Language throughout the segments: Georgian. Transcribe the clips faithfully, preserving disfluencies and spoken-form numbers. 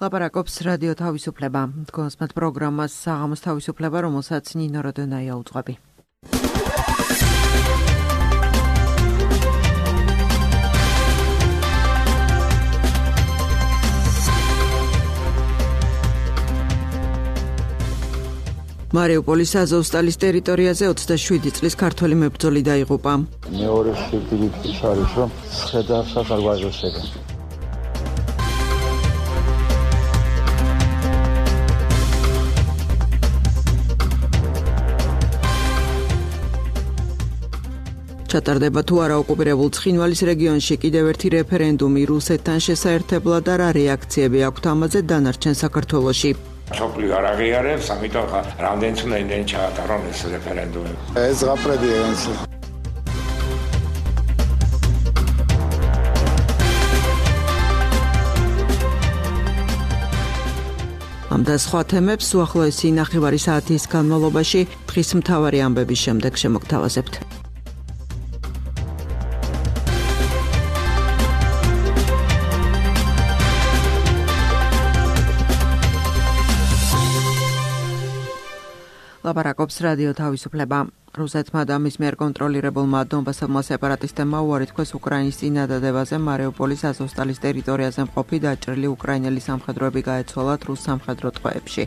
ლაპარაკობს რადიო თავისუფლება. Თქვენს პროგრამას საღამოს თავისუფლება, რომელსაც ნინო როდონაია უძღვები. მარიუპოლის აზოვსტალის ტერიტორიაზე ოცდაშვიდი წლის ქართველი მებრძოლი დაიღუპა. მეორე სიკვდილით არის, რომ შედარსაც არ გვაჟოსებენ. ჩატარდება თუ არა ოკუპირებულ ცხინვალის რეგიონში კიდევ ერთი რეფერენდუმი რუსეთთან შესაერთებლად და რა რეაქციები აქვთ ამაზე დანარჩენ საქართველოში. Სოფლიო არ აღიარებს, ამიტომ რამდენიც უნდა იმდენ ჩაატარონ ეს რეფერენდუმი. ეს ღაფრედია ეს. ამ და სხვა თემებს უახლოესი ნახევარი საათის განმავლობაში დღის მთავარი ამბების შემდეგ შემოგთავაზებთ. ლაპარაკობს რადიო თავისუფლება. რუსეთმა და მის მიერ კონტროლირებულმა დონბასელმა სეპარატისტებმა უარი თქვეს უკრაინის წინადადებაზე მარიუპოლის აზოვსტალის ტერიტორიაზე მყოფი დაჭრილი უკრაინელი სამხედროები გაეცვალათ რუს სამხედრო ტყვეებში.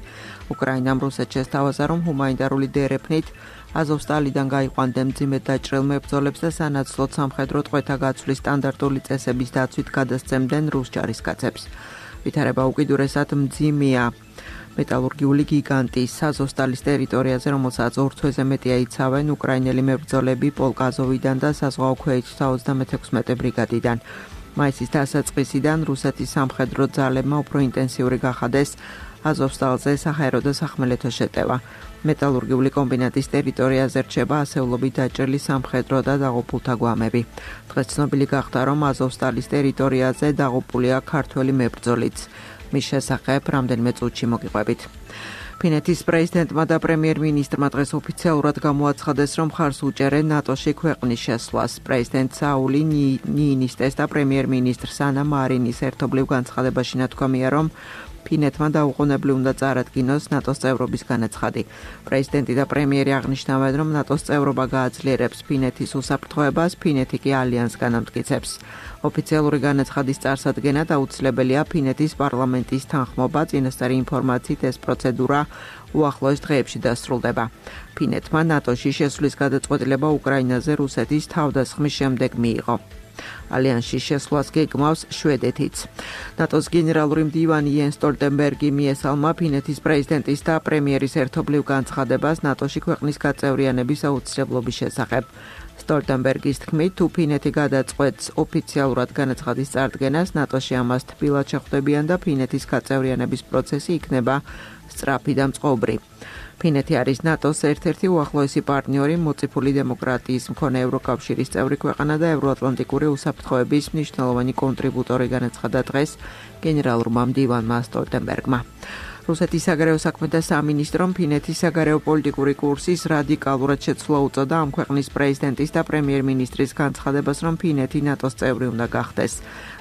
უკრაინამ რუსეთს შესთავაზა, რომ ჰუმანიტარული დერეფნით აზოვსტალიდან გაიყვანდნენ მძიმედ დაჭრილ მებრძოლებს და სანაცვლოდ სამხედრო ტყვეთა გაცვლის სტანდარტული წესების დაცვით გადასცემდნენ რუს ჯარისკაცებს. ვითარება უკიდურესად მძიმეა მეტალურგიული გიგანტის აზოვსტალის ტერიტორიაზე, რომელსაც ორ თვეზე მეტია იცავენ უკრაინელი მებრძოლები პოლკ აზოვიდან და საზღვაო ქვეითთა ოცდამეექვსმეტე ბრიგადიდან. მაისის დასაწყისიდან რუსეთის სამხედრო ძალებმა უფრო ინტენსიური გახადეს აზოვსტალზე საჰაერო და სახმელეთო შეტევა. მეტალურგიული კომბინატის ტერიტორიაზე რჩება ასეულობით დაჭრილი სამხედრო და დაღუპულთა გვამები. დღეს ცნობილი გახდა, რომ აზოვსტალის ტერიტორიაზე დაღუპულია ქართველი მებრძოლიც. მის შესახებ რამდენიმე წუთში მოგიყვებით. ფინეთის პრეზიდენტმა და პრემიერ-მინისტრმა დღეს ოფიციალურად გამოაცხადეს, რომ მხარს უჭერენ ნატოში ქვეყნის შესვლას. პრეზიდენტ საული ნიინისტეს და პრემიერ-მინისტრ სანა მარინის ერთობლივ განცხადებაში ნათქვამია, რომ ფინეთმა დაუყოვნებლივ უნდა წარადგინოს ნატოს წევრობის განაცხადი. პრეზიდენტი და პრემიერი აღნიშნავენ, რომ ნატოს წევრობა გააძლიერებს ფინეთის უსაფრთხოებას, ფინეთი კი ალიანსგან ამტკიცებს. ოფიციალური განაცხადის წარსადგენად აუცილებელია ფინეთის პარლამენტის თანხმობა, წინასწარი ინფორმაციით ეს პროცედურა უახლოეს დღეებში დასრულდება. ფინეთმა ნატოში შესვლის გადაწყვეტილება უკრაინაზე რუსეთის თავდასხმის შემდეგ მიიღო. ალიანსში შესვლას გეგმავს შვედეთიც. ნატოს გენერალური მდივანი იენს სტოლტენბერგი მიესალმა ფინეთის პრეზიდენტის და პრემიერის ერთობლივ განცხადებას ნატოში ქვეყნის გაწევრიანების აუცილებლობის შესახებ. სტოლტენბერგის თქმით, თუ ფინეთი გადაწყვეტს ოფიციალურად განაცხადის წარდგენას, ნატოში ამას თბილად შეხვდებიან და ფინეთის გაწევრიანების პროცესი იქნება სწრაფი და მწყობრი. ფინეთი არის ნატოს ერთ-ერთი უახლოესი პარტნიორი, მოწიფული დემოკრატიის მქონე ევროკავშირის წევრი ქვეყანა და ევროატლანტიკური უსაფრთხოების მნიშვნელოვანი კონტრიბუტორი, განაცხადა დღეს გენერალურმა მდივანმა სტოლტენბერგმა. რუსეთის საგარეო საქმეთა სამინისტრომ ფინეთის საგარეო პოლიტიკური კურსის რადიკალურად შეცვლა უწოდა ამ ქვეყნის პრეზიდენტის და პრემიერ-მინისტრის განცხადებას, რომ ფინეთი ნატოს წევრი უნდა გახდეს.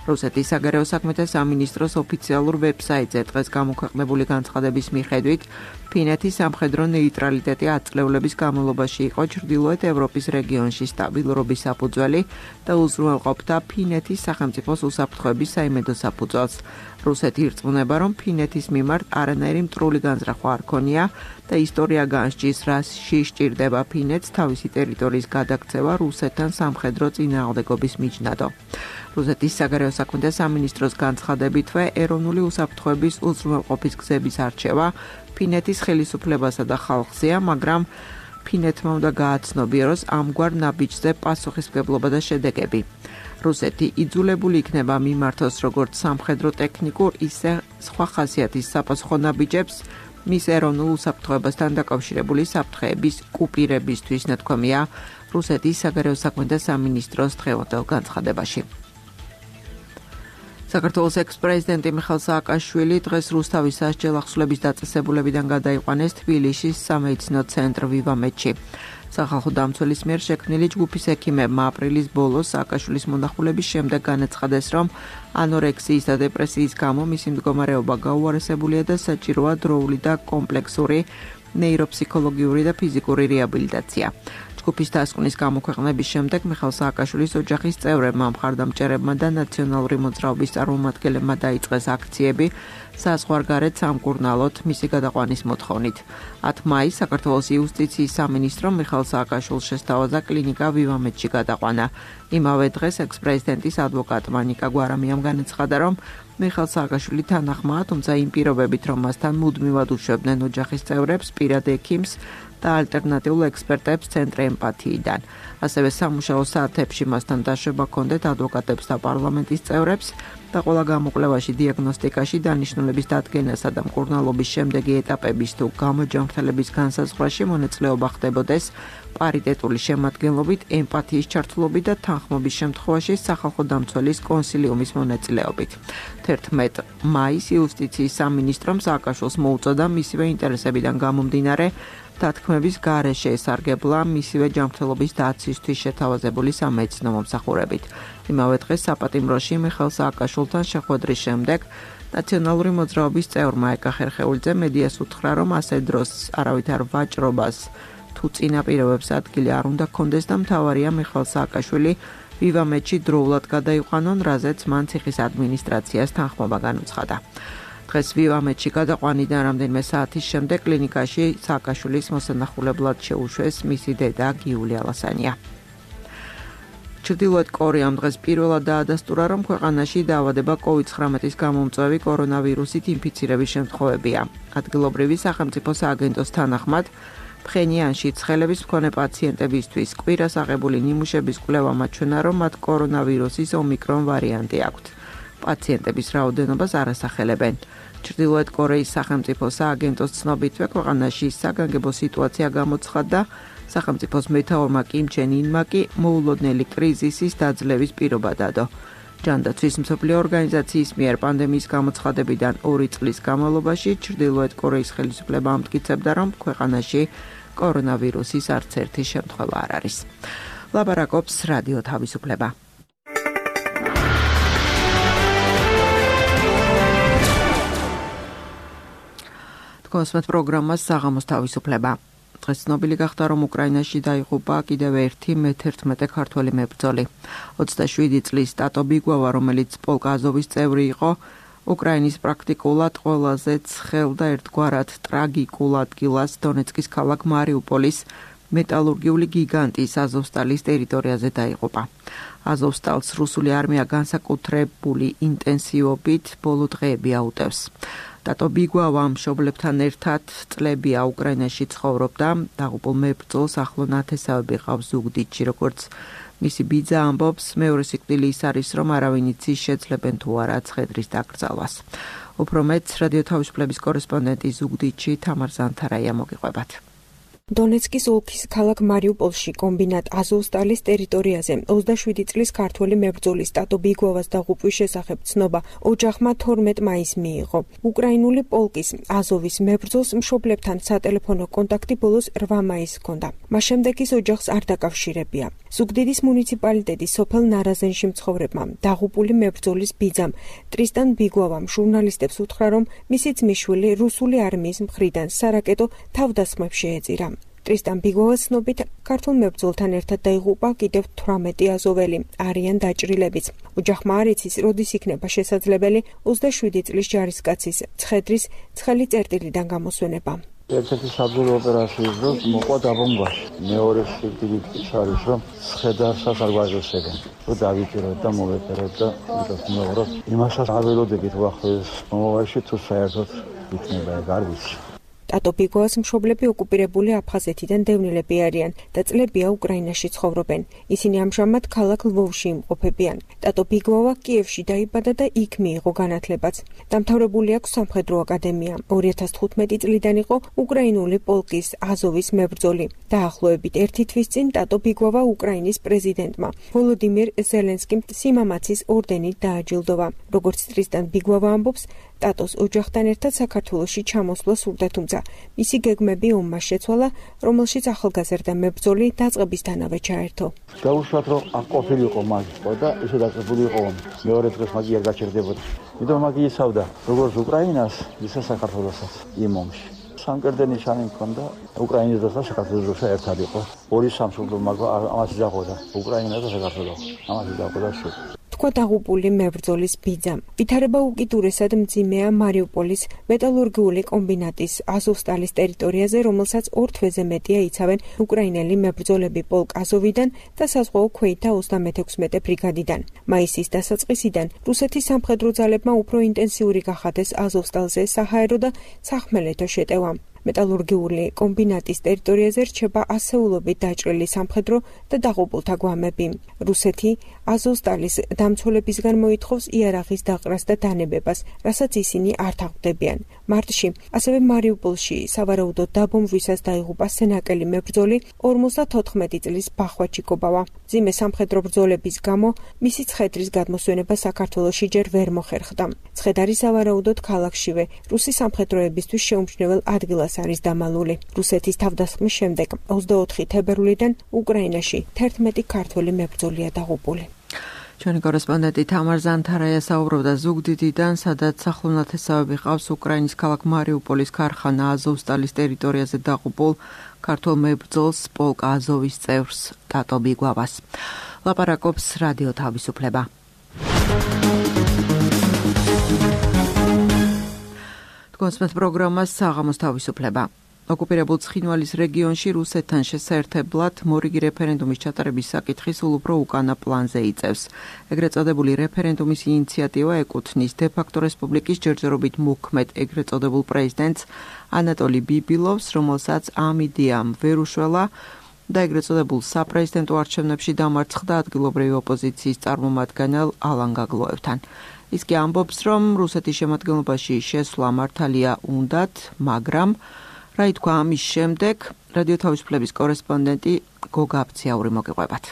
რუსეთის საგარეო საქმეთა სამინისტროს ოფიციალურ ვებსაიტზე დღეს გამოქვეყნებული განცხადების მიხედვით, ფინეთის სამხედრო ნეიტრალიტეტი ათწლეულების განმავლობაში იყო ჩრდილოეთ ევროპის რეგიონში სტაბილურობის საფუძველი და უზრუნველყოფდა ფინეთის სახელმწიფოს უსაფრთხოების საიმედო საფუძველს. რუსეთი ირწმუნება, რომ ფინეთის მიმართ არანაირი მტრული განზრახვა არ ქონია და ისტორია განსჯის, რასში სჭირდება ფინეთს თავისი ტერიტორიის გადაქცევა რუსეთთან სამხედრო წინააღმდეგობის მიჯნადო. რუსეთის საგარეო საქმეთა სამინისტროს განცხადებითვე, ეროვნული უსაფრთხოების უზრუნველყოფის გზების არჩევა ფინეთის ხელისუფლებასა და ხალხზეა, მაგრამ ფინეთმა უნდა გააცნობიეროს ამგვარ ნაბიჯზე პასუხისმგებლობა და შედეგები. რუსეთი იძულებული იქნება მიმართოს როგორც სამხედრო ტექნიკურ, ისე სხვა ხასიათის საპასუხო ნაბიჯებს მის ეროვნულ უსაფრთხოებასთან დაკავშირებული საფრთხეების კუპირებისთვის, ნათქვამია რუსეთის საგარეო საქმეთა სამინისტროს დღევანდელ განცხადებაში. საქართველოს ექს-პრეზიდენტი მიხეილ სააკაშვილი დღეს რუსთავის სასჯელ ახსნების დაწესებულებიდან გადაიყვანეს თბილისის სამედიცინო ცენტრ ვივამედში. სახალხო დამცველის მიერ შექმნილი ჯგუფის ექიმებმა აპრილის ბოლოს სააკაშვილის მონახულების შემდეგ განაცხადეს, რომ ანორექსიის და დეპრესიის გამო მისი მდგომარეობა გაუარესებულია და საჭიროა დროული და კომპლექსური ნეიროფსიქოლოგიური და ფიზიკური რეაბილიტაცია. ჯგუფის დასკვნის გამოქვეყნების შემდეგ მიხეილ სააკაშვილის ოჯახის წევრებმა, მხარდამჭერებმა და ნაციონალური მოძრაობის წარმომადგენლებმა დაიწყეს აქციები საზღვარგარეთ სამკურნალოდ მისი გადაყვანის მოთხოვნით. ათი მაისს საქართველოს იუსტიციის სამინისტრომ მიხეილ სააკაშვილს შესთავაზა კლინიკა ვივამედში გადაყვანა. იმავე დღეს ექს-პრეზიდენტის ადვოკატმა ნიკა გვარამიამ განაცხადა, რომ მიხეილ სააკაშვილი თანახმაა, თუმცა იმ პირობებით, რომ მასთან მუდმივად უშვებდნენ ოჯახის წევრებს, პირად ექიმს და ალტერნატიულ ექსპერტებს ცენტრი ემპათიიდან. ასევე სამუშაო საათებში მასთან დაშვება ჰქონდეთ ადვოკატებს და პარლამენტის წევრებს და ყველა გამოკვლევაში დიაგნოსტიკაში დანიშნულების დადგენასა და მკურნალობის შემდეგი ეტაპების თუ გამოჯანმრთელების განსაზღვრაში მონაწილეობა ხდებოდეს პარიტეტული შემადგენლობით, ემპათიის ჩართულობით და თანხმობის შემთხვევაში სახალხო დამცველის კონსილიუმის მონაწილეობით. თერთმეტ მაისს იუსტიციის სამინისტრომ სააკაშვილს მოუწოდა მისივე ინტერესებიდან გამომდინარე დათქმების გარეშე ესარგებლა მისივე ჯანმრთელობის დაცვისთვის შეთავაზებული სამედიცინო მომსახურებით. იმავე დღეს საპატიმროში მიხეილ სააკაშვილთან შეხვედრის შემდეგ ნაციონალური მოძრაობის წევრმა ეკა ხერხეულიძე მედიას უთხრა, რომ ასე დროს არავითარ ვაჭრობას თუ წინაპირობებს ადგილი არ უნდა ჰქონდეს და მთავარია მიხეილ სააკაშვილი ვივამედში დროულად გადაიყვანონ, რაზეც მან ციხის ადმინისტრაციას თანხმობა განუცხადა. დღეს ვივამედში გადაყვანიდან რამდენიმე საათის შემდეგ კლინიკაში სააკაშვილის მოსანახულებლად შეუშვეს მისი დედა გიული ალასანია. ჩრდილოეთ კორეამ დღეს პირველად დაადასტურა, რომ ქვეყანაში დაავადება კოვიდ ცხრამეტის გამომწვევი კორონავირუსით ინფიცირების შემთხვევებია. ადგილობრივი სახელმწიფო სააგენტოს თანახმად ფხენიანში ცხელების მქონე პაციენტებისთვის კვირას აღებული ნიმუშების კვლევა მაჩვენა, რომ მათ კორონავირუსის ომიკრონ ვარიანტი აქვთ. პაციენტების რაოდენობას არ ასახელებენ. ჩრდილოეთ კორეის სახელმწიფო სააგენტოს ცნობითვე ქვეყანაში საგანგებო სიტუაცია გამოცხადდა, სახელმწიფოს მეთაურმა კიმ ჩენ ინმა კი მოულოდნელი კრიზისის დაძლევის პირობა დადო. ჯანდაცვის მსოფლიო ორგანიზაციის მიერ პანდემიის გამოცხადებიდან ორი წლის განმავლობაში ჩრდილოეთ კორეის ხელისუფლება ამტკიცებდა, რომ ქვეყანაში კორონავირუსის არც ერთი შემთხვევა არ არის. ლაბარაკობს რადიო თავისუფლება. კონსმეთ პროგრამას საღამოს თავისუფლება. დღეს ცნობილი გახდა, რომ უკრაინაში დაიღუპა კიდევ ერთი მე თერთმეტე ქართველი მებრძოლი. ოცდაშვიდი წლის ტატო ბიგვავა, რომელიც პოლკ აზოვის წევრი იყო, უკრაინის პრაქტიკულად ყველაზე ცხელ და ერთგვარად ტრაგიკულ ადგილას დონეცკის ქალაქ მარიუპოლის მეტალურგიული გიგანტის აზოვსტალის ტერიტორიაზე დაიღუპა. აზოვსტალს რუსული არმია განსაკუთრებული ინტენსივობით ბოლო დღეები აუტევს. ტატო ბიგვავა მშობლებთან ერთად წლებია უკრაინაში ცხოვრობდა, დაღუპულ მებრძოლს ახლო ნათესავები ყავს ზუგდიდში, როგორც მისი ბიძა ამბობს, მეორე სიკვდილი ის არის, რომ არავინ იცის შეძლებენ თუ არა ცხედრის დაკრძალვას. უფრო მეტს რადიო თავისუფლების კორესპონდენტი ზუგდიდში თამარ ზანთარაია მოგიყვებათ. დონეცკის ოლქის ქალაქ მარიუპოლში კომბინატ აზოვსტალის ტერიტორიაზე ოცდაშვიდი წლის ქართველი მებრძოლის ტატო ბიგვავას დაღუპვის შესახებ ცნობა ოჯახმა თორმეტ მაისს მიიღო. უკრაინული პოლკის აზოვის მებრძოლს მშობლებთან სატელეფონო კონტაქტი ბოლოს რვა მაისს ჰქონდა. მას შემდეგ ის ოჯახს არ დაკავშირებია. ზუგდიდის მუნიციპალიტეტის სოფელ ნარაზენში მცხოვრებმა დაღუპული მებრძოლის ბიძამ ტრისტან ბიგვავამ ჟურნალისტებს უთხრა, რომ მისი ძმისშვილი რუსული არმიის მხრიდან სარაკეტო თავდასხმებს შეეწირა. ტრისტან ბიგვავას ცნობით ქართულ მებრძოლთან ერთად დაიღუპა კიდევ თვრამეტი აზოველი, არიან დაჭრილებიც. ოჯახმა არ იცის, როდის იქნება შესაძლებელი ოცდაშვიდი წლის ჯარისკაცის ცხედრის ცხელი წერტილიდან გამოსვენება. ერთ-ერთი საბრძოლო ოპერაციის დროს მოყვა დაბომბაში. მეორე სიკვდილით ის არის, რომ ცხედარსაც არ გვაგებსებენ. რომ დავიჭიროთ და მოვეწეროთ და ვიტყვით მეუღლე, იმასაც არ ველოდებით ვახდეს მომავალში თუ საერთოდ იქნება ეგ არ ვიცი. ტატო ბიგვავას მშობლები ოკუპირებული აფხაზეთიდან დევნილები არიან და წლებია უკრაინაში ცხოვრობენ. ისინი ამჟამად ქალაქ ლვოვში იმყოფებიან. ტატო ბიგვავა კიევში დაიბადა და იქ მიიღო განათლებაც. დამთავრებული აქვს სამხედრო აკადემია. ორი ათას თხუთმეტი წლიდან იყო უკრაინული პოლკის აზოვის მებრძოლი. დაახლოებით ერთი თვის წინ ტატო ბიგვავა უკრაინის პრეზიდენტმა ვოლოდიმირ ზელენსკიმ სიმამაცის ორდენით დააჯილდოვა. როგორც ტრისტან ბიგვავა ამბობს, ტატოს ოჯახთან ერთად საქართველოში ჩამოსვლა სურდა, თუმცა მისი გეგმები ომმა შეცვალა, რომელშიც ახალგაზრდა მებრძოლი დაწყებისთანავე ჩაერთო. Დაუშვათ, რომ აქ ყოფილიყო მაგი და ისე დაწყებული იყო ომი. მეორე დღეს მაგი არ გაჩერდებოდა. იმიტომ მაგი იცავდა როგორც უკრაინას, ისე საქართველოსაც იმ ომში. სამკერდენი ნიშანი მქონდა უკრაინის და საქართველოს ერთად იყო. ორი სამშობლო მაგა ამას იძახოდა. უკრაინა და საქართველო. ამას იძახოდა სულ. თქვა დაღუპული მებრძოლის ბიძამ. ვითარება უკიდურესად მძიმეა მარიუპოლის მეტალურგიული კომბინატის აზოვსტალის ტერიტორიაზე, რომელსაც ორ თვეზე მეტია იცავენ უკრაინელი მებრძოლები პოლკ აზოვიდან და საზღვაო ქვეითთა ოცდამეთექვსმეტე ბრიგადიდან. მაისის დასაწყისიდან რუსეთის სამხედრო ძალებმა უფრო ინტენსიური გახადეს აზოვსტალზე საჰაერო და სახმელეთო შეტევა. მეტალურგიული კომბინატის ტერიტორიაზე რჩება ასეულობით დაჭრილი სამხედრო და დაღუპულთა გვამები. რუსეთი აზოვსტალის დამცველებისგან მოითხოვს იარაღის დაყრას და დანებებას, რასაც ისინი არ თაყვდებიან. მარტში ასევე მარიუპოლში სავარაუდოდ დაბომბვისას დაიღუპა სენაკელი მებრძოლი ორმოცდათოთხმეტი წლის ბახვა ჩიკობავა. მძიმე სამხედრო ბრძოლების გამო მისი ცხედრის გადმოსვენება საქართველოში ჯერ ვერ მოხერხდა. ცხედარი სავარაუდოდ ქალაქშივე რუსი სამხედროებისთვის შეუმჩნევლ ადგილას არის დამალული. რუსეთის თავდასხმის შემდეგ ოცდაოთხი თებერვლიდან უკრაინაში თერთმეტი ქართველი მებრძოლია დაღუპული. ჩვენი კორესპონდენტი თამარ ზანთარაია საუბრობდა ზუგდიდიდან, სადაც სახლ-ნათესავები ყავს უკრაინის ქალაქ მარიუპოლის ქარხანა აზოვსტალის ტერიტორიაზე დაღუპულ ქართველ მებრძოლს პოლკ აზოვის წევრს ტატო ბიგვავას. ლაპარაკობს რადიო თავისუფლება. კონსპეთ პროგრამას საღამოს თავისუფლება. ოკუპირებულ ცხინვალის რეგიონში რუსეთთან შესაერთებლად მორიგი რეფერენდუმის ჩატარების საკითხი სულ უფრო უკანა პლანზე იწევს. ეგრეთ წოდებული რეფერენდუმის ინიციატივა ეკუთვნის დე-ფაქტო რესპუბლიკის ჯერჯერობით მოქმედ ეგრეთ წოდებულ პრეზიდენტს ანატოლი ბიბილოვს, რომელსაც ამ იდეამ ვერ უშველა და ეგრეთ წოდებულ საპრეზიდენტო არჩევნებში დამარცხდა ადგილობრივი ოპოზიციის წარმომადგენელ ალან გაგლოევთან. ის კი ამბობს, რომ რუსეთის შემადგენლობაში შესვლა მართალია უნდათ, მაგრამ რა ითქვა ამის შემდეგ, რადიო თავისუფლების კორესპონდენტი გოგა აბციაური მოგიყვებათ.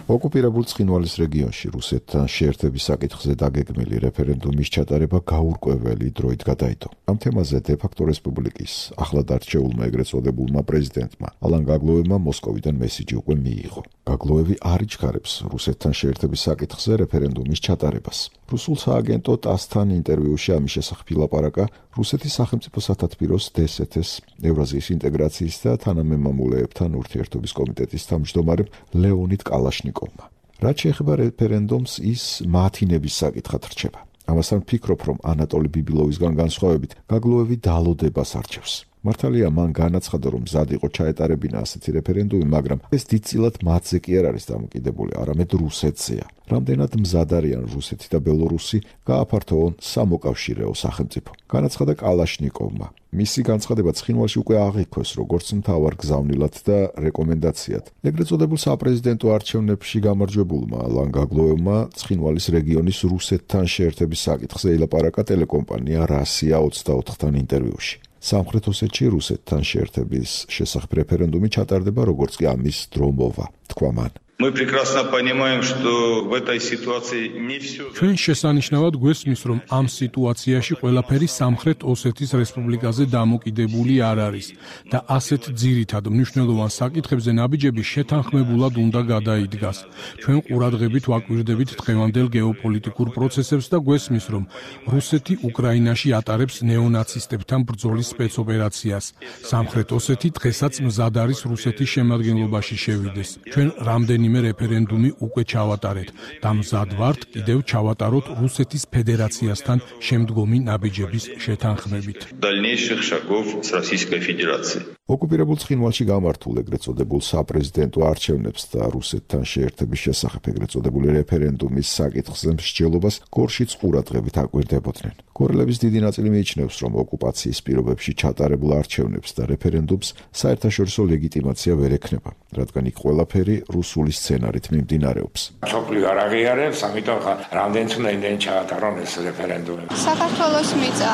ოკუპირებულ ცხინვალის რეგიონში რუსეთთან შეერთების საკითხზე დაგეგმილი რეფერენდუმის ჩატარება გაურკვეველი დროით გადაიდო. ამ თემაზე დე-ფაქტო რესპუბლიკის ახლად არჩეულმა ეგრეთ წოდებულმა პრეზიდენტმა ალან გაგლოევმა მოსკოვიდან მესიჯი უკვე მიიღო. გაგლოევი არ იჩქარებს რუსეთთან შეერთების საკითხზე რეფერენდუმის ჩატარებას. რუსულ სააგენტო ტასთან ინტერვიუში ამის შესახებ ილაპარაკა რუსეთის სახელმწიფო სათათბიროს დე-ეს-ეს ევრაზიის ინტეგრაციის და თანამემამულეებთან ურთიერთობის კომიტეტის თავმჯდომარემ ლეონიდ კალაშნიკოვმა. რაც შეეხება რეფერენდუმს, ის მათინების საკითხად რჩება. ამასთან ვფიქრობ, რომ ანატოლი ბიბილოვისგან განსხვავებით გაგლოევი დალოდებას არჩევს. მართალია მან განაცხადა, რომ მზად იყო ჩაეტარებინა ასეთი რეფერენდუმი, მაგრამ ეს დიდწილად მათზე კი არ არის დამოკიდებული, არამედ რუსეთზეა. რამდენად მზად არიან რუსეთი და ბელორუსი გააფართოვონ სამოკავშირეო სახელმწიფო. განაცხადა კალაშნიკოვმა. მისი განცხადება ცხინვალში უკვე აღიქვეს როგორც მთავარ გზავნილად და რეკომენდაციად. ეგრეთ წოდებულ საპრეზიდენტო არჩევნებში გამარჯვებულმა ალან გაგლოევმა ცხინვალის რეგიონის რუსეთთან შეერთების საკითხზე ილაპარაკა ტელეკომპანია რასია ოცდაოთხთან ინტერვიუში. სამხრეთ ოსეთში რუსეთთან შეერთების შესახებ რეფერენდუმი ჩატარდება, როგორც კი ამის დრო მოვა, თქვა მან. Мы прекрасно понимаем, что в этой ситуации не все. ჩვენ შესანიშნავად გვესმის, რომ ამ სიტუაციაში ყველაფერი სამხრეთ ოსეთის რესპუბლიკაზე დამოკიდებული არ არის და ასეთ ძირითად მნიშვნელოვან საკითხებზე ნაბიჯები შეთანხმებულად უნდა გადაიდგას. ჩვენ ყურადღებით ვაკვირდებით დღევანდელ გეოპოლიტიკურ პროცესებს და გვესმის, რომ რუსეთი უკრაინაში ატარებს ნეონაცისტებთან ბრძოლის სპეცოპერაციას. სამხრეთ ოსეთი დღესაც მზად არის რუსეთის შემადგენლობაში შევიდეს. ჩვენ რამდენიმე რეფერენდუმი უკვე ჩავატარეთ და მზად ვართ კიდევ ჩავატაროთ რუსეთის ფედერაციასთან შემდგომი ნაბიჯების შეთანხმებით. Дальнейших шагов с Российской Федерацией. ოკუპირებულ ცხინვალში გამართულ ეგრეთ წოდებულ საპრეზიდენტო არჩევნებს და რუსეთთან შეერთების შესახებ ეგრეთ წოდებული რეფერენდუმის საკითხზე მსჯელობას გორშიც ყურადღებით აკვირდებოდნენ. კორელების დიდი ნაწილი მიიჩნევს, რომ ოკუპაციის პირობებში ჩატარებულ არჩევნებს და რეფერენდუმს საერთაშორისო ლეგიტიმაცია ვერ ექნება, რადგან იქ ყველაფერი რუსული სცენარით მიმდინარეობს. სოფლიო არ აღიარებს, ამიტომ რამდენიც უნდა იმდენ ჩაატარონ ეს რეფერენდუმი. საქართველოს მიწა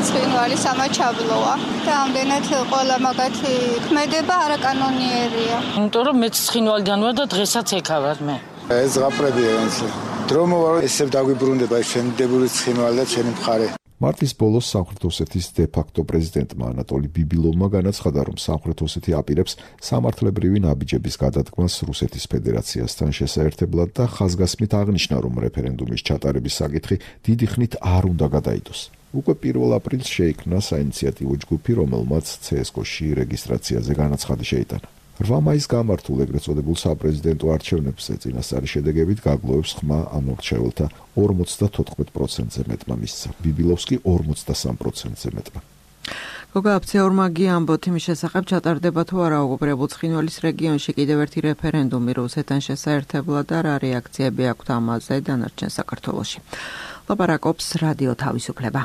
ცხინვალის ამა ჩაბლოა და ამდენად ყველა მაგათი ქმედება არაკანონიერია. იმიტომ რომ მეც ცხინვალიდან ვარ და დღესაც ეკავარ მე. ეს ზღაპრებია ეს. დრო მოვა ესე დაგვიბრუნდება შემდებული ცხინვალი და ჩემი მხარე. მარტის ბოლოს სამხრეთ ოსეთის დე-ფაქტო პრეზიდენტმა ანატოლი ბიბილოვმა განაცხადა, რომ სამხრეთ ოსეთი აპირებს სამართლებრივი ნაბიჯების გადადგმას რუსეთის ფედერაციასთან შესაერთებლად და ხაზგასმით აღნიშნა, რომ რეფერენდუმის ჩატარების საკითხი დიდი ხნით არ უნდა გადაიდოს. უკვე პირველ აპრილს შეიქმნა საინიციატივო ჯგუფი, რომელმაც ცე ეს კო-ში რეგისტრაციაზე განაცხადი შეიტანა. რვა მაისს გამართულ ეგრეთ წოდებულ საპრეზიდენტო არჩევნებზე წინასწარი შედეგებით გაგლოვებს ხმა ამორჩეველთა ორმოცდათოთხმეტ პროცენტზე მეტმა მისცა. ბიბილოვს კი ორმოცდასამ პროცენტზე მეტმა. გოგა აფცეურმაგი ამბობთ იმის შესახებ, ჩატარდება თუ არა ოკუპირებულ ცხინვალის რეგიონში კიდევ ერთი რეფერენდუმი რუსეთთან შესაერთებლად და რა რეაქციები აქვთ ამაზე დანარჩენ საქართველოში. ლაპარაკობს რადიო თავისუფლება.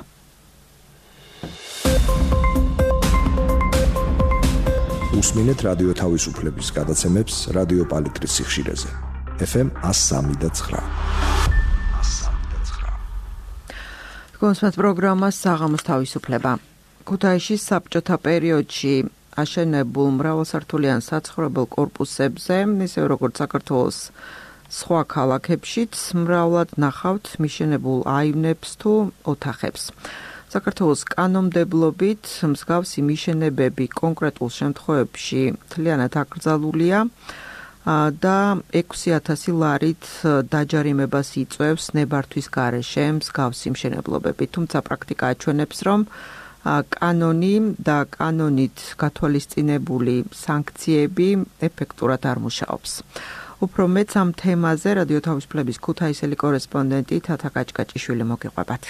უსმინეთ რადიო თავისუფლების გადაცემებს რადიო პალიტრის სიხშირეზე. ეფ ემ ას სამი და ცხრა. კონსპект პროგრამას საღამოს თავისუფლება. ქუთაისის საბჭოთა პერიოდში აშენებულ მრავალსართულიან საცხოვრებელ კორპუსებზე, ისევე როგორც საქართველოს სხვა ქალაქებშიც მრავლად ნახავთ მიშენებულ აივნებს თუ ოთახებს. საქართველოს კანონმდებლობით მსგავსი მიშენებები კონკრეტულ შემთხვევებში მთლიანად აკრძალულია და ექვსი ათასი ლარით დაჯარიმებას იწვევს ნებართვის გარეშე მსგავსი მშენებლობები. თუმცა პრაქტიკა აჩვენებს, რომ კანონი და კანონით გათვალისწინებული სანქციები ეფექტურად არ მუშაობს. უფრო მეც ამ თემაზე რადიო თავისუფლების ქუთაისელი კორესპონდენტი თათა კაჭკაჭიშვილი მოგიყვებათ.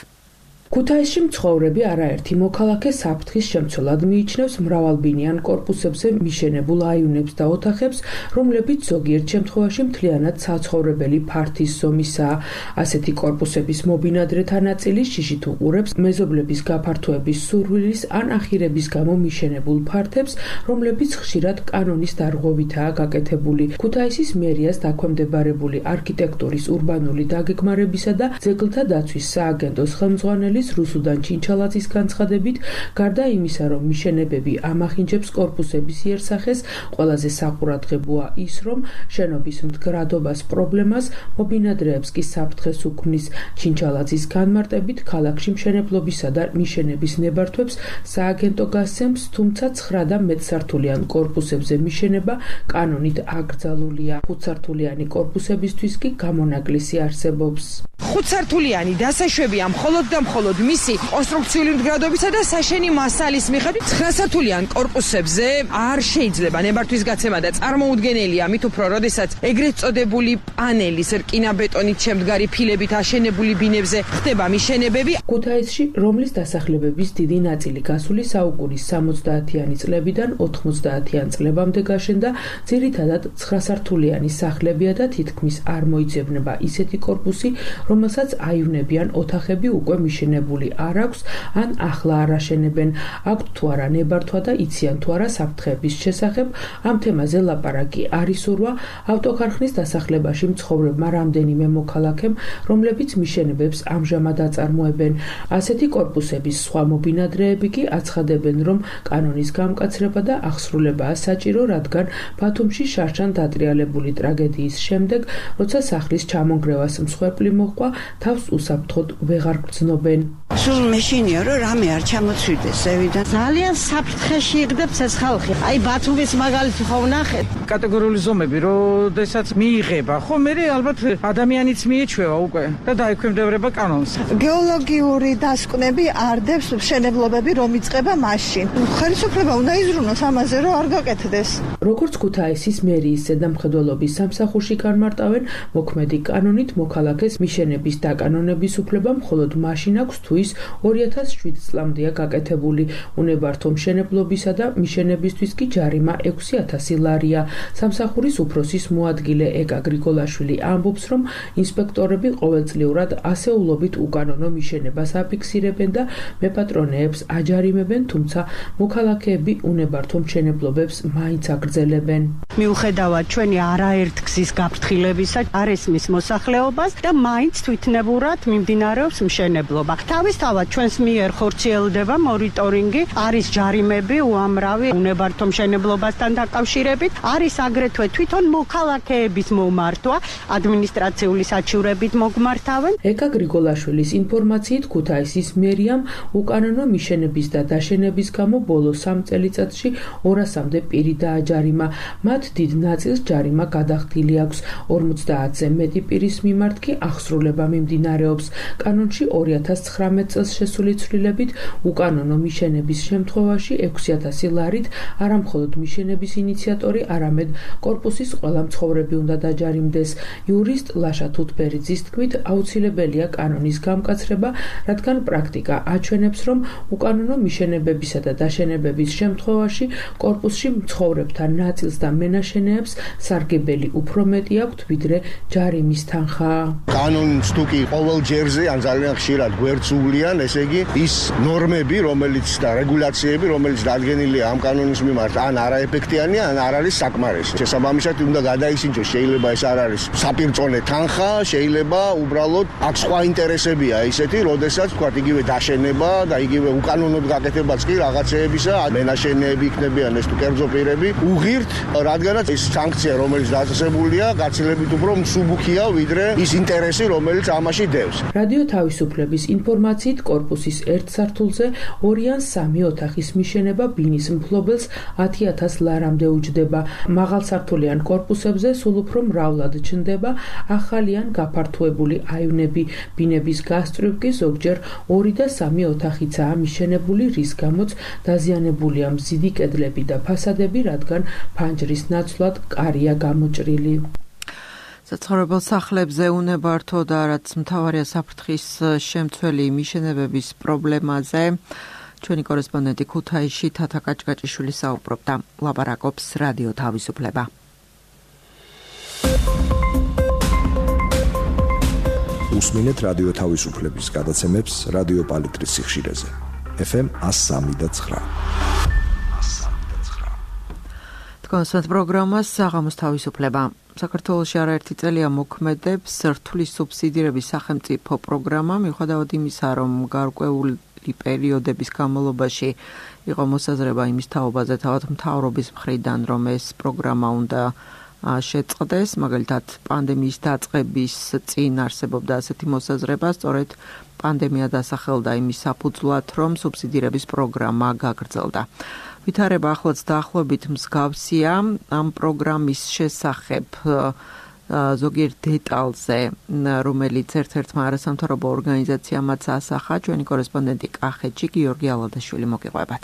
ქუთაისში მცხოვრები არაერთი მოქალაქე საფრთხის შემცველად მიიჩნევს მრავალბინიან კორპუსებზე მიშენებულ აივნებს და ოთახებს, რომლებიც ზოგიერთ შემთხვევაში მთლიანად საცხოვრებელი ფართის ზომისაა. ასეთი კორპუსების მობინადრეთა ნაწილი შიშით უყურებს მეზობლების გაფართოების სურვილის ან ახირების გამო მიშენებულ ფართებს, რომლებიც ხშირად კანონის დარღვევითაა გაკეთებული. ქუთაისის მერიას დაქვემდებარებული არქიტექტურის ურბანული დაგეგმარებისა და ძეგლთა დაცვის სააგენტოს ხელმძღვანელი რუსუდან ჩინჩალაძის განცხადებით, გარდა იმისა, რომ მიშენებები ამახინჯებს კორპუსების იერსახეს, ყველაზე საყურადღებოა ის, რომ შენობის მდგრადობას პრობლემას მობინადრეებს კი საფრთხეს უქმნის. ჩინჩალაძის განმარტებით, ქალაქში მშენებლობისა და მიშენების ნებართვებს სააგენტო გასცემს, თუმცა ცხრა და მეტსართულიან კორპუსებზე მიშენება კანონით აკრძალულია. ხუთსართულიანი კორპუსებისთვის კი გამონაკლისი არსებობს. ხუთსართულიანი დასაშვებია მხოლოდ და მხოლოდ მისი კონსტრუქციული მდგრადობისა და საშენი მასალის მიხედვით ცხრასართულიან კორპუსებზე არ შეიძლება ნებართვის გაცემა და წარმოუდგენელია, მით უფრო როდესაც ეგრეთ წოდებული პანელის რკინაბეტონით შემდგარი ფილებით აშენებული ბინებზე ხდება მიშენებები. ქუთაისში, რომლის დასახლებების დიდი ნაწილი გასული საუკუნის სამოცდაათიანი წლებიდან ოთხმოცდაათიან წლებამდე გაშენდა, ძირითადად ცხრასართულიანი სახლებია და თითქმის არ მოიძებნება ისეთი კორპუსი, რომელსაც აივნებიან ოთახები უკვე მიშენებული არ აქვს, ან ახლა არ აშენებენ. აქვთ თუ არა ნებართვა და იციან თუ არა საფრთხების შესახებ, ამ თემაზე ლაპარაკი არ ისურვა ავტოქარხნის დასახლებაში მცხოვრებმა რამდენიმე მოქალაქემ, რომლებიც მიშენებებს ამჟამად აწარმოებენ. ასეთი კორპუსების სხვა მობინადრეები კი აცხადებენ, რომ კანონის გამკაცრება და აღსრულებაა საჭირო, რადგან ბათუმში შარშან დატრიალებული ტრაგედიის შემდეგ, როცა სახლის ჩამონგრევას მსხვერპლი მოჰყვა, თავს უსაფრთხოდ ვეღარ გრძნობენ. სულ მეშინია, რომ რამე არ ჩამოწვიდეს ზევიდან. ძალიან საფრთხეში იღებს ეს ხალხი. აი ბათუმის მაგალითი ხო ვნახეთ. კატეგორიული ზომები, როდესაც მიიღება, ხო მე ალბათ ადამიანიც მიეჩვევა უკვე და დაექვემდებარება კანონს. გეოლოგიური დასკვნები არდებს მშენებლობები, რომ იწყება მაშინ. ხელისუფლება უნდა იზრუნოს ამაზე, რომ არ გაკეთდეს. როგორც ქუთაისის მერიის ზედამხედველობის სამსახურში განმარტავენ, მოქმედი კანონით მოქალაქეს მიშენების დაკანონების უფლება მხოლოდ მაშინ აქვს, თუ ის ორი ათას შვიდ წლამდეა გაკეთებული. უნებართო მშენებლობისა და მიშენებისთვის კი ჯარიმა ექვსი ათასი ლარია. სამსახურის უფროსის მოადგილე ეკა გრიგოლაშვილი ამბობს, რომ ინსპექტორები ყოველწლიურად ასეულობით უკანონო მიშენებას აფიქსირებენ და მეპატრონეებს აჯარიმებენ, თუმცა მოქალაქეები უნებართო მშენებლობებს მაინც აგრძელებენ. მიუხედავად ჩვენი არაერთ გზის გაფრთხილებისა, არ ესმის მოსახლეობას და მაინც თვითნებურად მიმდინარეობს მშენებლობა. თავი თავისთავად ჩვენს მიერ ხორციელდება მონიტორინგი, არის ჯარიმები უამრავი უნებართო მშენებლობასთან დაკავშირებით, არის აგრეთვე თვითონ მოქალაქეების მომართვა, ადმინისტრაციული საჩივრებით მოგმართავენ. ეკა გრიგოლაშვილის ინფორმაციით ქუთაისის მერიამ უკანონო მიშენების და დაშენების გამო ბოლო სამ წელიწადში ორასამდე პირი დააჯარიმა. მათ დიდ ნაწილს ჯარიმა გადახდილი აქვს. ორმოცდაათზე მეტი პირის მიმართ კი აღსრულება მიმდინარეობს. კანონში ორი ათას ცხრამეტ წელს შესული ცვლილებით უკანონო მიშენების შემთხვევაში ექვსი ათასი ლარით არამხოლოდ მიშენების ინიციატორი, არამედ კორპუსის ყველა მცხოვრები უნდა დაჯარიმდეს. იურისტ ლაშა თუთბერიძის თქმით, აუცილებელია კანონის გამკაცრება, რადგან პრაქტიკა აჩვენებს, რომ უკანონო მიშენებებისა და დაშენებების შემთხვევაში კორპუსში მცხოვრებთა ნაწილს და მენაშენეებს სარგებელი უფრო მეტი აქვთ, ვიდრე ჯარიმის თანხა. კანონს თუ კი ყოველ ჯერზე ან ძალიან ხშირად გვერდსუვლიან, ესე იგი ის ნორმები, რომელიც და რეგულაციები, რომელიც დადგენილია ამ კანონის მიმართ, ან არაეფექტიანია, ან არ არის საკმარისი. შესაბამისად უნდა გადაისინჯოს, შეიძლება ეს არ არის საპირწონე თანხა, შეიძლება უბრალოდ აქ სხვა ინტერესებია ისეთი, როდესაც თქვა იგივე დაშენება და იგივე უკანონოდ გაკეთებაც კი რაღაცეებისა, მენაშენეები იქნებიან ეს თუ კერძო პირები, უღირთ, რადგანაც ეს სანქცია, რომელიც დაწესებულია, გაცილებით უფრო მსუბუქია, ვიდრე ის ინტერესი, რომელიც ამაში დევს. რადიო თავისუფლების ინფორმაციით კორპუსის ერთ სართულზე ორი ან სამი ოთახის მიშენება ბინის მფლობელს ათი ათას ლარამდე უჯდება. მაღალსართულიან კორპუსებზე სულ უფრო მრავლად ჩნდება ახალი ან გაფართოებული აივნები. ბინების გასწვრივ კი ზოგჯერ ორი და სამი ოთახიცაა მიშენებული, რის გამოც დაზიანებულია მზიდი კედლები და ფასადები, რადგან ფანჯრის ნაცვლად კარია გამოჭრილი. საცხოვრებელ სახლებზე უნებართო და რაც მთავარია საფრთხის შემცველი მიშენებების პრობლემაზე ჩვენი კორესპონდენტი ქუთაისში თათა კაჭკაჭიშვილი საუბრობდა. ლაპარაკობს რადიო თავისუფლება. უსმინეთ რადიო თავისუფლების გადაცემებს რადიო პალიტრის სიხშირეზე. ეფ ემ εκατო სამი და ცხრა. კონსერტ პროგრამას საღამოს თავისუფლება. საქართველოში არაერთი წელია მოქმედებს რთulis სუბსიდირების სახელმწიფო პროგრამა, მიუხედავად იმისა, რომ გარკვეული პერიოდების განმავლობაში იყო მოსაზრება იმის თაობაზე, თავად მთავრობის მხრიდან, რომ ეს პროგრამა უნდა შეწყდეს, მაგალითად პანდემიის დაწყების წინ არსებობდა ასეთი მოსაზრება, სწორედ პანდემია დასახელდა იმის საფუძვლად, რომ სუბსიდირების პროგრამა გაგრძელდა. ვითარება ახლაც დაახლოებით მსგავსია ამ პროგრამის შესახებ ზოგიერთ დეტალზე, რომელიც ერთ-ერთმა არასამთავრობო ორგანიზაციამაც ასახა, ჩვენი კორესპონდენტი კახეთში გიორგი ალადაშვილი მოგიყვებათ.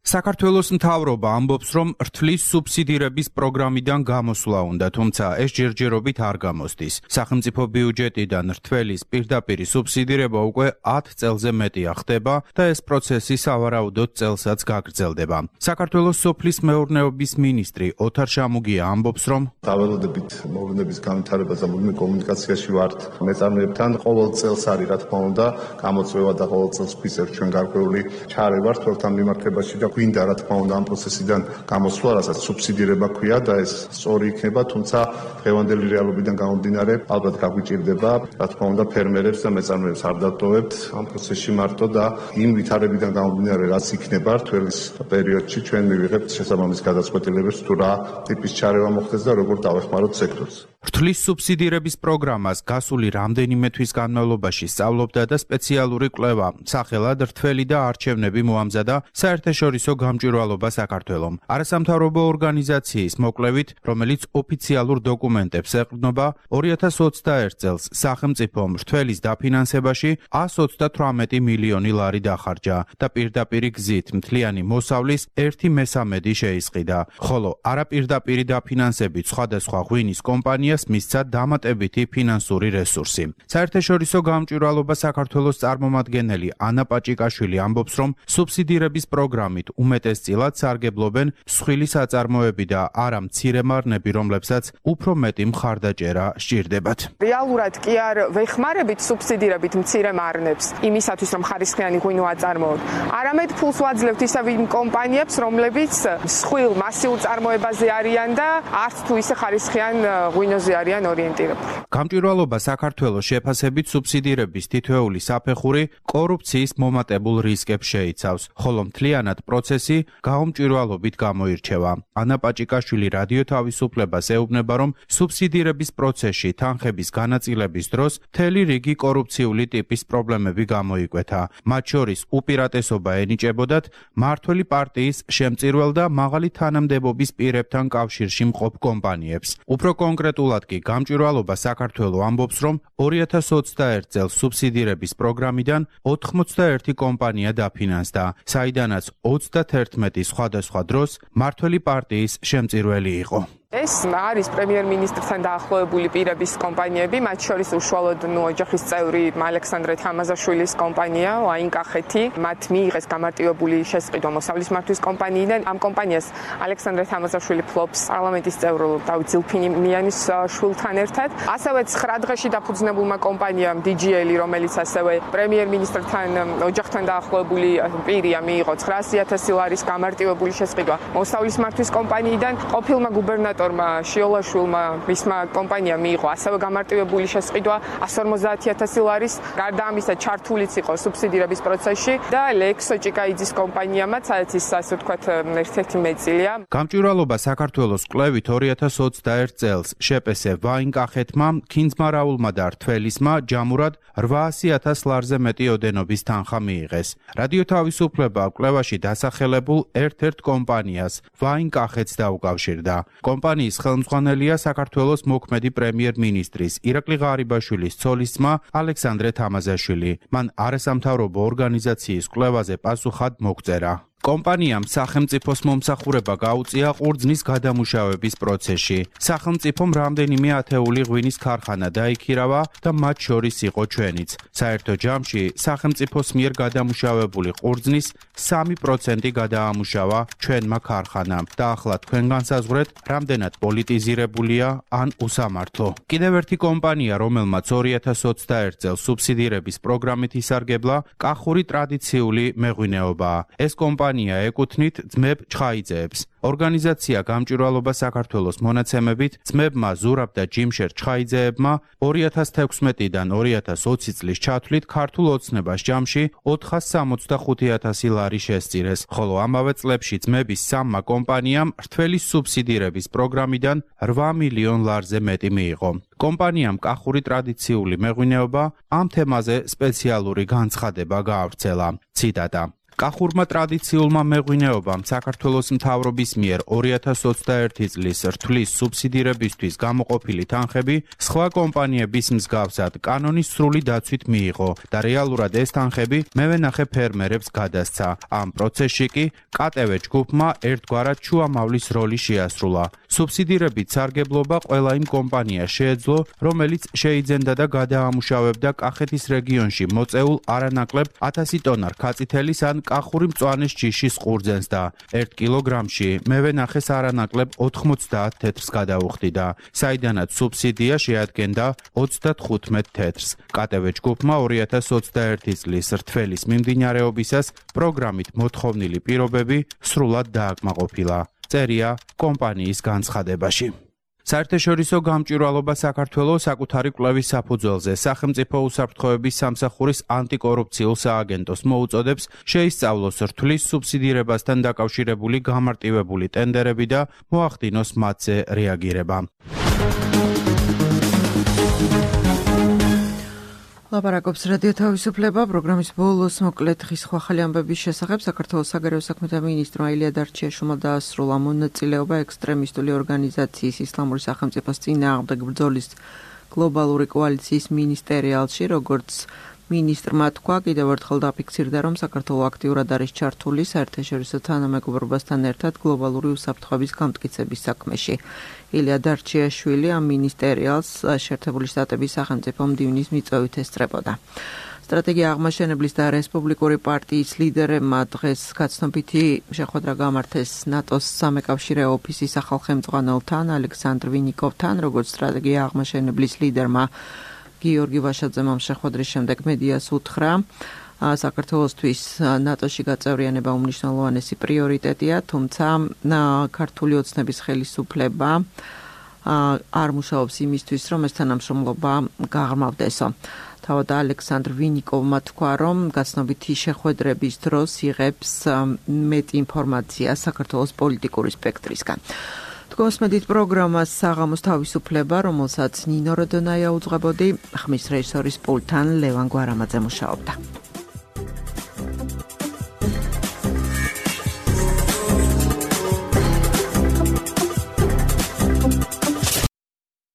საქართველოს მთავრობა ამბობს, რომ რთulis სუბსიდირების პროგრამიდან გამოსვლა უნდა, თუმცა ეს ჯერჯერობით არ გამოსდის. სახელმწიფო ბიუჯეტიდან რთველის პირდაპირი სუბსიდირება უკვე ათ წელზე მეტია ხდება და ეს პროცესი სავარაუდოდ წელსაც გაგრძელდება. საქართველოს სოფლის მეურნეობის მინისტრი ოთარ შამუგია ამბობს, რომ დავალოდებით მოვლენების განვითარებას და მუდმივ კომუნიკაციაში ვართ მეწარმეებთან. ყოველ წელს არის, რა თქმა უნდა, გამოწვევა და ყოველ წელს გვისერთ ჩვენ გარკვეული ჩარევა თორთან მიმართებაში და გვინდა რა თქმა უნდა ამ პროცესიდან გამოსვლა, რასაც სუბსიდირება ქვია და ეს სწორი იქნება, თუმცა დღევანდელი რეალობიდან გამომდინარე ალბათ გაგვიჭირდება, რა თქმა უნდა ფერმერებს და მეწარმეებს არ დატოვებთ ამ პროცესში მარტო და იმ ვითარებიდან გამომდინარე რაც იქნება რთველის პერიოდში ჩვენ მივიღებთ შესაბამის გადაწყვეტილებებს თუ რა ტიპის ჩარევა მოხდეს და როგორ დავეხმაროთ სექტორს. რთulis სუბსიდირების პროგრამას გასული რამდენიმე თვის განმავლობაში სწავლობდა და სპეციალური კვლევა, სახელად რთველი და არჩევნები მოამზადა საერთაშორისო გამჭვირვალობა საქართველომ. არასამთავრობო ორგანიზაციის მოკვლევით, რომელიც ოფიციალურ დოკუმენტებს ეყრდნობა, ორი ათას ოცდაერთ წელს სახელმწიფომ რთველის დაფინანსებაში ას ოცდათვრამეტი მილიონი ლარი დახარჯა და პირდაპირი გზით მთლიანი მოსავლის ერთი მესამედი შეისყიდა, ხოლო არაპირდაპირი დაფინანსებით სხვადასხვა ღვინის კომპანიას მისცა დამატებითი ფინანსური რესურსი. საერთაშორისო გამჭვირვალობა საქართველოს წარმომადგენელი ანა პაჭიკაშვილი ამბობს, რომ სუბსიდირების პროგრამით უმეტესწილად სარგებლობენ მსხვილი საწარმოები და არა მცირე მარნები, რომლებსაც უფრო მეტი მხარდაჭერა სჭირდებათ. რეალურად კი არ ვეხმარებით სუბსიდირებით მცირე მარნებს იმისათვის, რომ ხარისხიანი ღვინო აწარმოოთ. არამედ ფულს ვაძლევთ ისევ იმ კომპანიებს, რომლებიც მსხვილ მასიურ წარმოებაზე არიან და არც თუ ისე ხარისხიან ღვინოზე ფონზე არიან ორიენტირებული. გამჭვირვალობა საქართველოს შეფასებით სუბსიდირების თითოეული საფეხური კორუფციის მომატებულ რისკებს შეიცავს, ხოლო მთლიანად პროცესი გაუმჭვირვალობით გამოირჩევა. ანა პაჭიკაშვილი რადიო თავისუფლებას ეუბნება, რომ სუბსიდირების პროცესში თანხების განაწილების დროს მთელი რიგი კორუფციული ტიპის პრობლემები გამოიკვეთა. მათ შორის უპირატესობა ენიჭებოდათ მმართველი პარტიის შემწირველ და მაღალი თანამდებობის პირებთან კავშირში მყოფ კომპანიებს. უფრო კონკრეტულად კი გამჭვირვალობა საქართველოს ამბობს, რომ ორი ათას ოცდაერთ წელს სუბსიდირების პროგრამიდან ოთხმოცდაერთი კომპანია დაფინანსდა, საიდანაც ოცდათერთმეტი სხვადასხვა დროს მმართველი პარტიის შემწირველი იყო. ეს არის პრემიერ-მინისტრთან დაახლოებული პირების კომპანიები, მათ შორის უშუალოდ ნუ ოჯახის წევრი ალექსანდრე თამაზაშვილის კომპანია, აინკახეთი, მათ მიიღეს გამარტივებული შესყიდვა მოსავლის მართვის კომპანიიდან. ამ კომპანიას ალექსანდრე თამაზაშვილი ფლობს პარლამენტის წევრ დავით ზილფინიანის შვილთან ერთად. ასევე ცხრა დღეში დაფუძნებულმა კომპანიამ დი ჯი ელ, რომელიც ასევე პრემიერ-მინისტრთან ოჯახთან დაახლოებული პირია, მიიღო ცხრაასი ათასი ლარის გამარტივებული შესყიდვა მოსავლის მართვის კომპანიიდან. ყოფილმა გუბერნატორმა შიოლაშვილმა მისმა კომპანიამ მიიღო ასევე გამარტივებული შესყიდვა ასი ორმოცდაათი ათასი ლარის. გარდა ამისა ჩართულიც იყო სუბსიდირების პროცესში და ლექსო ჭიკაიძის კომპანიამაც, სადაც ის ასე ვთქვათ ერთ-ერთი მეტწილია. გამჭვირვალობა საქართველოს კვლევით ორი ათას ოცდაერთ წელს შეპესე ვაინკახეთმა, ქინძმარაულმა და რთველისმა ჯამურად რვაასი ათას ლარზე მეტი ოდენობის თანხა მიიღეს. რადიო თავისუფლება კვლევაში დასახელებულ ერთ-ერთ კომპანიას ვაინკახეთს დაუკავშირდა. კომპანიის ხელმძღვანელია საქართველოს მოქმედი პრემიერ-მინისტრის ირაკლი ღარიბაშვილის ცოლისძმა ალექსანდრე თამაზაშვილი. მან არასამთავრობო ორგანიზაციის კვლევაზე პასუხად მოგწერა. კომპანიამ სახელმწიფოს მომსახურება გაუწია ყურძნის გადამუშავების პროცესში. სახელმწიფომ რამდენიმე ათეული ღვინის ქარხანა დაიქირავა და მათ შორის იყო ჩვენიც. საერთო ჯამში სახელმწიფოს მიერ გადამუშავებული ყურძნის სამი პროცენტი გადაამუშავა ჩვენმა ქარხანამ და ახლა თქვენ განსაზღვრეთ, რამდენად პოლიტიზირებულია ან უსამართლო. კიდევ ერთი კომპანია, რომელმაც ორი ათას ოცდაერთ წელს სუბსიდირების პროგრამით ისარგებლა, კახური ტრადიციული მეღვინეობაა. ეს კომპანია ეკუთვნით ძმებ ჩხაიძეებს. ორგანიზაცია გამჭვირვალობა საქართველოს მონაცემებით ძმებმა ზურაბ და ჯიმშერ ჩხაიძეებმა ორი ათას თექვსმეტიდან ორი ათას ოცი წლის ჩათვლით ქართულ ოცნებას ჯამში ოთხას სამოცდახუთი ათასი ლარი შესწირეს, ხოლო ამავე წლებში ძმების სამმა კომპანიამ რთველის სუბსიდირების პროგრამიდან რვა მილიონ ლარზე მეტი მიიღო. კომპანიამ კახური ტრადიციული მეღვინეობა ამ თემაზე სპეციალური განცხადება გაავრცელა. ციტატა: კახურმა ტრადიციულმა მეღვინეობამ საქართველოს მთავრობის მიერ ორი ათას ოცდაერთი წლის რთვლის სუბსიდირებისთვის გამოყოფილი თანხები სხვა კომპანიების მსგავსად კანონის სრული დაცვით მიიღო და რეალურად ეს თანხები მევენახე ფერმერებს გადასცა. ამ პროცესში კი კა ტე ვე ჯგუფმა ერთგვარად შუამავლის როლი შეასრულა. სუბსიდირებით სარგებლობა ყველა იმ კომპანიას შეეძლო, რომელიც შეიძენდა და გადაამუშავებდა კახეთის რეგიონში მოწეულ არანაკლებ ათასი ტონა რქაწითელის ან კახური მწვანეს ჯიშის ყურძენს და ერთ კილოგრამში მევენახეს არანაკლებ ოთხმოცდაათ თეთრს გადაუხდიდა, საიდანაც სუბსიდია შეადგენდა ოცდათხუთმეტ თეთრს. კა ტე ვე ჯგუფმა ორი ათას ოცდაერთი წლის რთველის მიმდინარეობისას პროგრამით მოთხოვნილი პირობები სრულად დააკმაყოფილა. წერია კომპანიის განცხადებაში. საერთაშორისო გამჭვირვალობა საქართველოს საკუთარი კვლევის საფუძველზე სახელმწიფო უსაფრთხოების სამსახურის ანტიკორუფციულ სააგენტოს მოუწოდებს შეისწავლოს რთვლის სუბსიდირებასთან დაკავშირებული გამარტივებული ტენდერები და მოახდინოს მათზე რეაგირება. ლაპარაკობს რადიო თავისუფლება პროგრამის ბოლოს მოკლედ ხის ხვალ ამბების შესახებ. საქართველოს საგარეო საქმეთა მინისტრმა ილია დარჩიაშვილმა დაასრულა მონაწილეობა ექსტრემისტული ორგანიზაციის ისლამური სახელმწიფოს წინააღმდეგ ბრძოლის გლობალური კოალიციის მინისტერიალში, როგორც მინისტრმა თქვა, კიდევ ერთხელ დაფიქსირდა, რომ საქართველო აქტიურად არის ჩართული საერთაშორისო თანამეგობრობასთან ერთად გლობალური უსაფრთხოების გამტკიცების საქმეში. ილია დარჩიაშვილი ამ მინისტერიალს შეერთებული შტატების სახელმწიფო მდივნის მიწვევით ესწრებოდა. სტრატეგია აღმაშენებლის და რესპუბლიკური პარტიის ლიდერებმა დღეს გაცნობითი შეხვედრა გამართეს ნატოს სამეკავშირე ოფისის ახალხემწყვალთან ალექსანდრ ვინიკოვთან, როგორც სტრატეგია აღმაშენებლის ლიდერმა გიორგი ვაშაძემ ამ შეხვედრის შემდეგ მედიას უთხრა, საქართველოსთვის ნატოში გაწევრიანება უმნიშვნელოვანესი პრიორიტეტია, თუმცა ქართული ოცნების ხელისუფლება არ მუშაობს იმისთვის, რომ ეს თანამშრომლობა გაღრმავდესო. თავად ალექსანდრ ვინიკოვმა თქვა, რომ გაცნობითი შეხვედრების დროს იღებს მეტ ინფორმაციას საქართველოს პოლიტიკური სპექტრისგან. თქვენსმედით პროგრამას საღამოს თავისუფლება, რომელსაც ნინო როდონაია უძღვებოდი, ხმის რეჟისორის პულტთან ლევან გვარამაძე მუშაობდა.